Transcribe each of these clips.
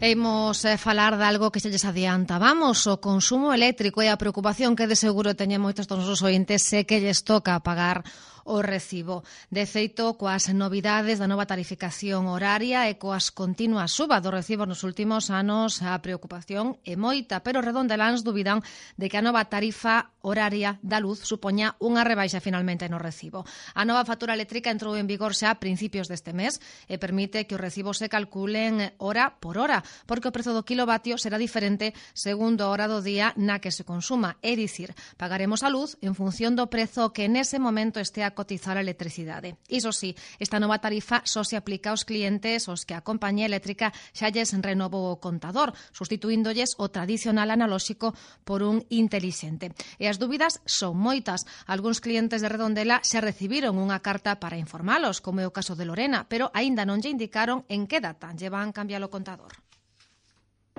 Imos falar de algo que xa lles adiantábamos, o consumo eléctrico e a preocupación que de seguro teñen moitos dos nosos ointes se que lles toca pagar o recibo. De feito, coas novidades da nova tarificación horaria e coas continuas subas do recibo nos últimos anos, a preocupación é moita, pero redondeláns dubidan de que a nova tarifa horaria da luz supoña unha rebaixa finalmente no recibo. A nova factura eléctrica entrou en vigor xa a principios deste mes e permite que os recibos se calculen hora por hora, porque o prezo do kilovatio será diferente segundo a hora do día na que se consuma. É dicir, pagaremos a luz en función do prezo que nese momento este a cotizar a electricidade. Iso sí, esta nova tarifa só se aplica aos clientes os que a compañía eléctrica xa lles renovou o contador, sustituíndolles o tradicional analóxico por un intelixente. E as dúbidas son moitas. Algúns clientes de Redondela xa recibiron unha carta para informalos, como é o caso de Lorena, pero aínda non lle indicaron en que data lle van cambiar o contador.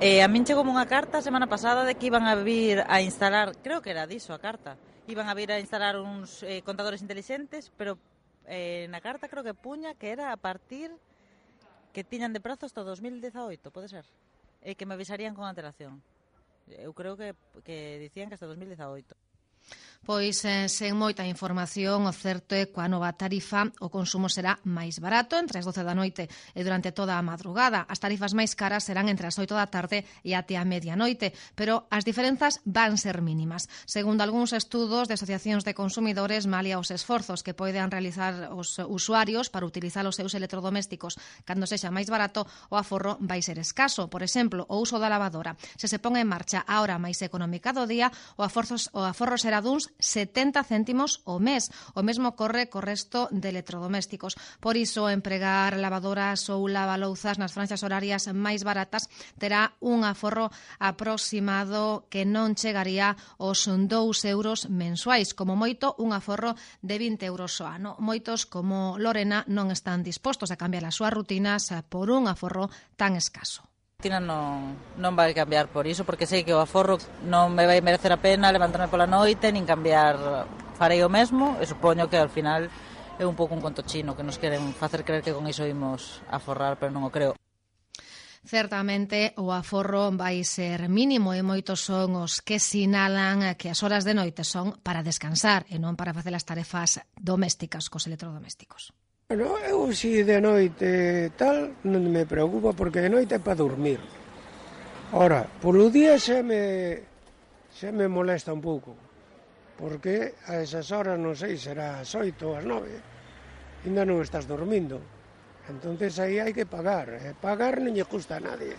A min chegou unha carta a semana pasada de que iban a vir a instalar, creo que era diso a carta, iban a vir a instalar uns contadores intelixentes, pero na carta creo que puña que era a partir que tiñan de prazo hasta 2018, pode ser? E que me avisarían con antelación. Eu creo que dicían que hasta 2018. Pois, sen moita información, o certo é que coa nova tarifa o consumo será máis barato entre as 12 da noite e durante toda a madrugada. As tarifas máis caras serán entre as 8 da tarde e até a medianoite, pero as diferenzas van ser mínimas. Segundo algúns estudos de asociacións de consumidores, malia os esforzos que poden realizar os usuarios para utilizar os seus electrodomésticos cando sexa máis barato, o aforro vai ser escaso. Por exemplo, o uso da lavadora. Se se pon en marcha a hora máis económica do día, o aforro será duns 70 céntimos ao mes. O mesmo ocorre co resto de electrodomésticos. Por iso, empregar lavadoras ou lavalouzas nas franxas horarias máis baratas terá un aforro aproximado que non chegaría aos 2 euros mensuais, como moito un aforro de 20 euros ao ano. Moitos, como Lorena, non están dispostos a cambiar as súas rutinas por un aforro tan escaso. Tina non vai cambiar por iso, porque sei que o aforro non me vai merecer a pena levantarme pola noite, nin cambiar, farei o mesmo, e supoño que ao final é un pouco un conto chino, que nos queren facer creer que con iso imos a forrar, pero non o creo. Certamente o aforro vai ser mínimo e moitos son os que sinalan que as horas de noite son para descansar e non para facer as tarefas domésticas cos electrodomésticos. Bueno, eu si de noite tal non me preocupa porque de noite é para dormir. Ora, polo día xa me molesta un pouco, porque a esas horas, non sei, será as 8 ou as 9, ainda non estás dormindo. Entonces aí hai que pagar, pagar non lle custa a nadie.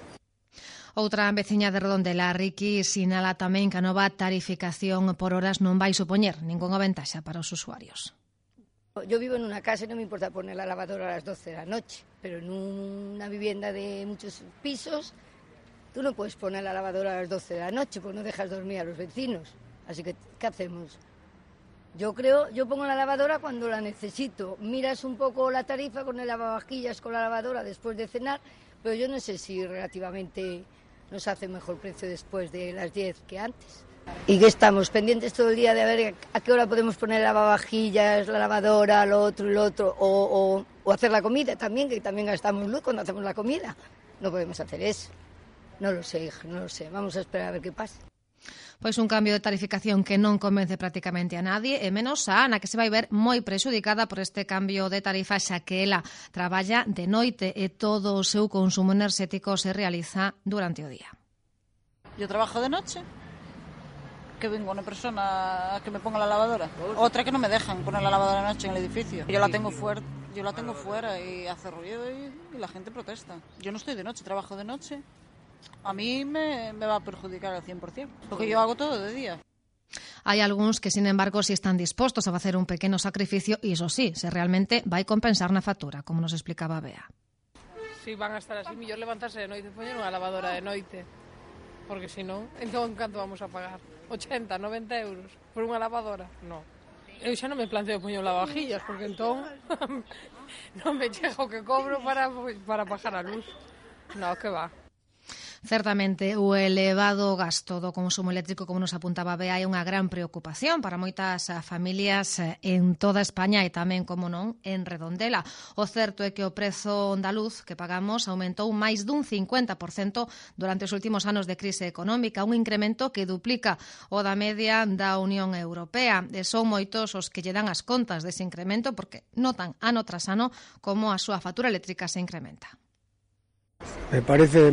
Outra veciña de Redondela, Riqui, sinala tamén que a nova tarificación por horas non vai supoñer ningunha ventaxa para os usuarios. Yo vivo en una casa y no me importa poner la lavadora a las 12 de la noche, pero en una vivienda de muchos pisos tú no puedes poner la lavadora a las 12 de la noche porque no dejas dormir a los vecinos. Así que, ¿qué hacemos? Yo pongo la lavadora cuando la necesito. Miras un poco la tarifa con el lavavajillas, con la lavadora después de cenar, pero yo no sé si relativamente nos hace mejor precio después de las 10 que antes. Y que estamos pendientes todo el día de a ver a qué hora podemos poner lavavajillas, la lavadora, lo otro, o hacer la comida también, que también gastamos luz cuando hacemos la comida. No podemos hacer eso. No lo sé, hija, no lo sé. Vamos a esperar a ver qué pasa. Pois un cambio de tarificación que non convence prácticamente a nadie, e menos a Ana, que se vai ver moi prexudicada por este cambio de tarifa, xa que ela traballa de noite e todo o seu consumo enerxético se realiza durante o día. Yo trabajo de noche, que vengo una persona que me ponga la lavadora, otra que no me dejan poner la lavadora de noche en el edificio. Yo la tengo fuera y hace ruido y la gente protesta. Yo no estoy de noche, trabajo de noche. A mí me va a perjudicar al 100%, porque yo hago todo de día. Hai algúns que, sin embargo, si están dispostos a facer un pequeno sacrificio, e iso sí, se realmente vai compensar na factura, como nos explicaba Bea. Si van a estar así, mellor levantarse de noite e poñer unha lavadora de noite, porque se non, entón canto vamos a pagar? 80, 90 euros por unha lavadora? Non. Eu xa non me planteo poñer lavavajillas, porque entón non me chega o que cobro para pagar a luz. Non, que va. Certamente, o elevado gasto do consumo eléctrico, como nos apuntaba Bea, é unha gran preocupación para moitas familias en toda España e tamén, como non, en Redondela. O certo é que o prezo da luz que pagamos aumentou máis dun 50% durante os últimos anos de crise económica, un incremento que duplica o da media da Unión Europea. E son moitos os que lle dan as contas dese incremento porque notan ano tras ano como a súa factura eléctrica se incrementa. Me parece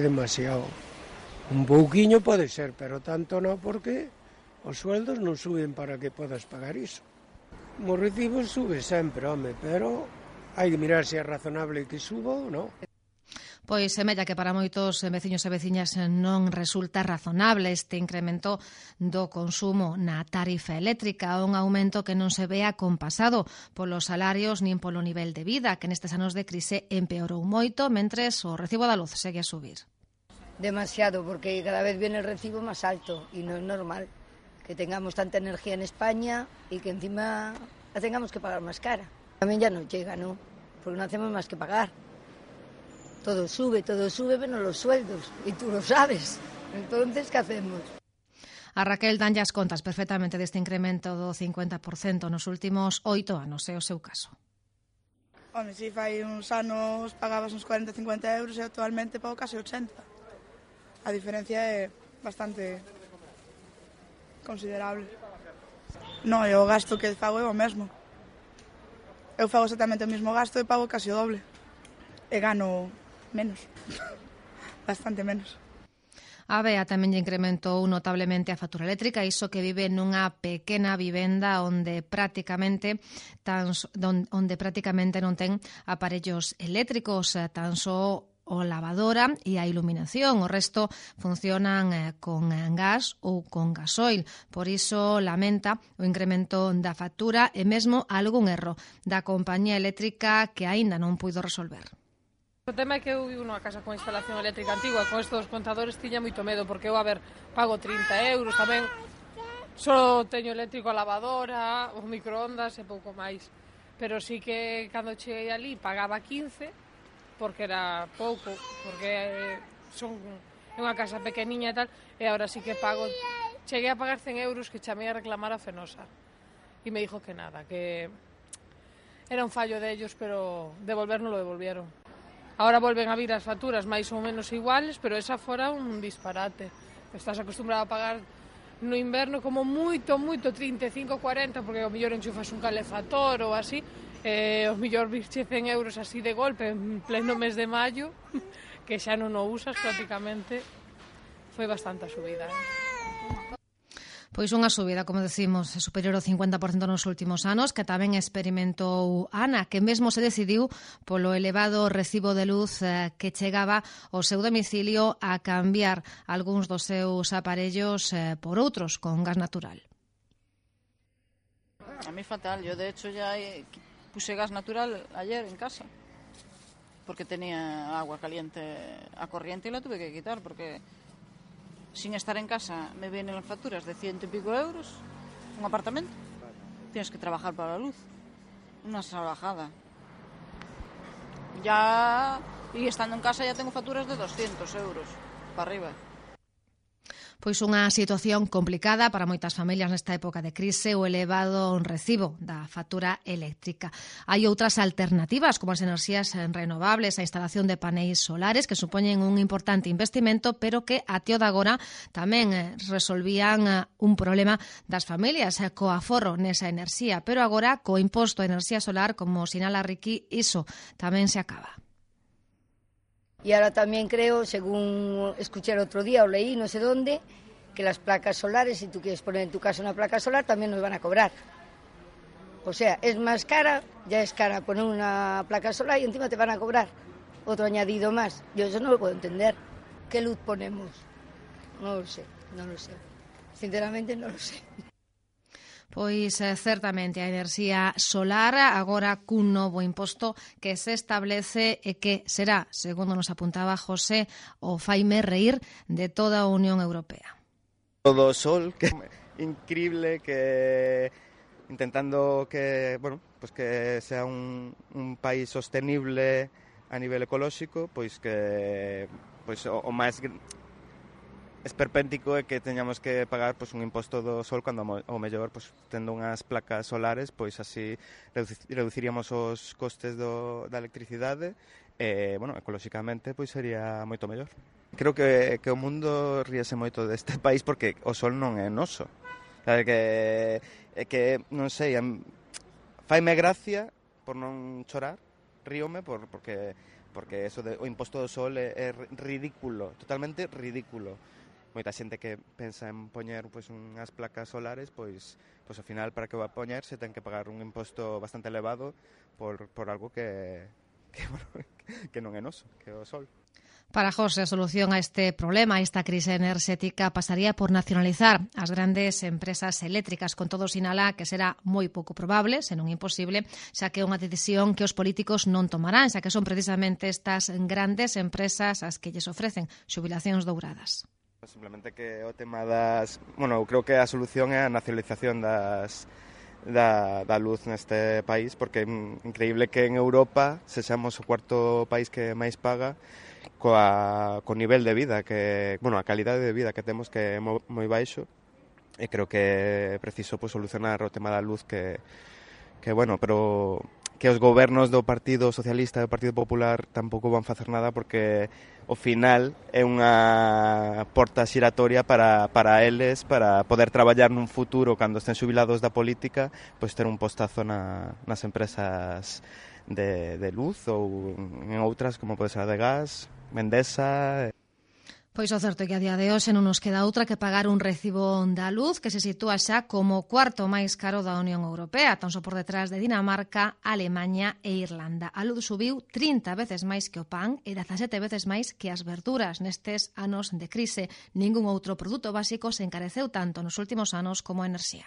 demasiado. Un pouquiño pode ser, pero tanto non, porque os sueldos non suben para que podas pagar iso. Os recibos sube sempre, home, pero hai que mirar se é razonable que suba ou non. Pois semella que para moitos veciños e veciñas non resulta razonable este incremento do consumo na tarifa eléctrica, un aumento que non se ve acompasado polos salarios nin polo nivel de vida, que nestes anos de crise empeorou moito, mentres o recibo da luz segue a subir. Demasiado, porque cada vez viene el recibo más alto y no es normal que tengamos tanta energía en España y que encima la tengamos que pagar más cara. También ya no llega, ¿no? Porque no hacemos más que pagar. Todo sube, menos los sueldos, y tú lo sabes. Entonces, ¿qué hacemos? A Raquel danlle as contas perfectamente deste incremento do 50% nos últimos 8 anos, é o seu caso. Home, si fai uns anos pagabas uns 40-50 euros e actualmente pago case 80. A diferencia é bastante considerable. Non, e o gasto que fago é o mesmo. Eu fago exactamente o mesmo gasto e pago case o doble. E gano menos, bastante menos. A Bea tamén lle incrementou notablemente a factura eléctrica, iso que vive nunha pequena vivenda onde prácticamente non ten aparellos eléctricos, tan só o lavadora e a iluminación. O resto funcionan con gas ou con gasoil. Por iso lamenta o incremento da factura e mesmo algún erro da compañía eléctrica que aínda non puido resolver. O tema é que eu vivo nunha casa con instalación eléctrica antigua, con estes contadores tiña moito medo, porque eu, pago 30 euros tamén, só teño eléctrico a lavadora, os microondas e pouco máis. Pero sí que cando cheguei ali pagaba 15, porque era pouco, porque é unha casa pequeniña e tal, e agora sí que pago, cheguei a pagar 100 euros que chamei a reclamar a Fenosa. E me dijo que nada, que era un fallo dellos, pero devolvernos lo devolvieron. Ahora volven a vir as facturas máis ou menos iguales, pero esa fora un disparate. Estás acostumbrado a pagar no inverno como moito, 35-40, porque ao mellor enchufas un calefactor ou así, os mellor virche 100 euros así de golpe en pleno mes de maio, que xa non o usas prácticamente, foi bastante a subida. Pois unha subida, como decimos, superior ao 50% nos últimos anos, que tamén experimentou Ana, que mesmo se decidiu polo elevado recibo de luz que chegaba ao seu domicilio a cambiar algúns dos seus aparellos por outros con gas natural. A mí fatal, yo de hecho ya puse gas natural ayer en casa, porque tenía agua caliente a corriente y la tuve que quitar, porque sin estar en casa me vienen las facturas de 100 y pico euros, un apartamento. Tienes que trabajar para la luz. Una salvajada. Y estando en casa ya tengo facturas de 200 euros para arriba. Pois unha situación complicada para moitas familias nesta época de crise, o elevado recibo da factura eléctrica. Hai outras alternativas, como as enerxías renovables, a instalación de paneis solares, que supoñen un importante investimento, pero que até o de agora tamén resolvían un problema das familias co aforro nesa enerxía, pero agora co imposto a enerxía solar, como sinala Riqui, iso tamén se acaba. Y ahora también creo, según escuché el otro día o leí, no sé dónde, que las placas solares, si tú quieres poner en tu casa una placa solar, también nos van a cobrar. O sea, es más cara, ya es cara poner una placa solar y encima te van a cobrar otro añadido más. Yo eso no lo puedo entender. ¿Qué luz ponemos? No lo sé. Sinceramente no lo sé. Pois certamente a enerxía solar agora cun novo imposto que se establece e que será, segundo nos apuntaba José, o faime reír de toda a Unión Europea. Todo sol, que increíble, que intentando que, bueno, pues que sea un país sostenible, a nivel ecolóxico, pois que pois o máis esperpéntico é que teñamos que pagar pois un imposto do sol cando ao mellor pois tendo unhas placas solares, pois así reduciríamos os costes da electricidade e, bueno, ecolóxicamente pois sería moito mellor. Creo que o mundo ríese moito deste país porque o sol non é noso. Sabe que non sei, faime gracia por non chorar, ríome porque eso o imposto do sol é ridículo, totalmente ridículo. Moita xente que pensa en poñer pois unhas placas solares, pois ao final para que o va a poñer se ten que pagar un imposto bastante elevado por algo que non é noso, que é o sol. Para José, a solución a este problema, a esta crise enerxética, pasaría por nacionalizar as grandes empresas eléctricas. Con todo, sinala que será moi pouco probable, senón imposible, xa que é unha decisión que os políticos non tomarán, xa que son precisamente estas grandes empresas as que lles ofrecen xubilacións douradas. Simplemente que o tema das... Bueno, eu creo que a solución é a nacionalización da luz neste país, porque é increíble que en Europa sexamos o cuarto país que máis paga co nivel de vida, a calidade de vida que temos que é moi baixo, e creo que é preciso solucionar o tema da luz pero que os gobernos do Partido Socialista e do Partido Popular tampouco van facer nada porque ao final é unha porta xiratoria para eles, para poder traballar nun futuro cando estén xubilados da política, pois ter un postazo nas empresas de luz ou en outras como pode ser a de gas, Endesa. Pois o certo é que a día de hoxe non nos queda outra que pagar un recibo da luz que se sitúa xa como o cuarto máis caro da Unión Europea, tan só por detrás de Dinamarca, Alemanha e Irlanda. A luz subiu 30 veces máis que o pan e 17 veces máis que as verduras. Nestes anos de crise, ningún outro produto básico se encareceu tanto nos últimos anos como a enerxía.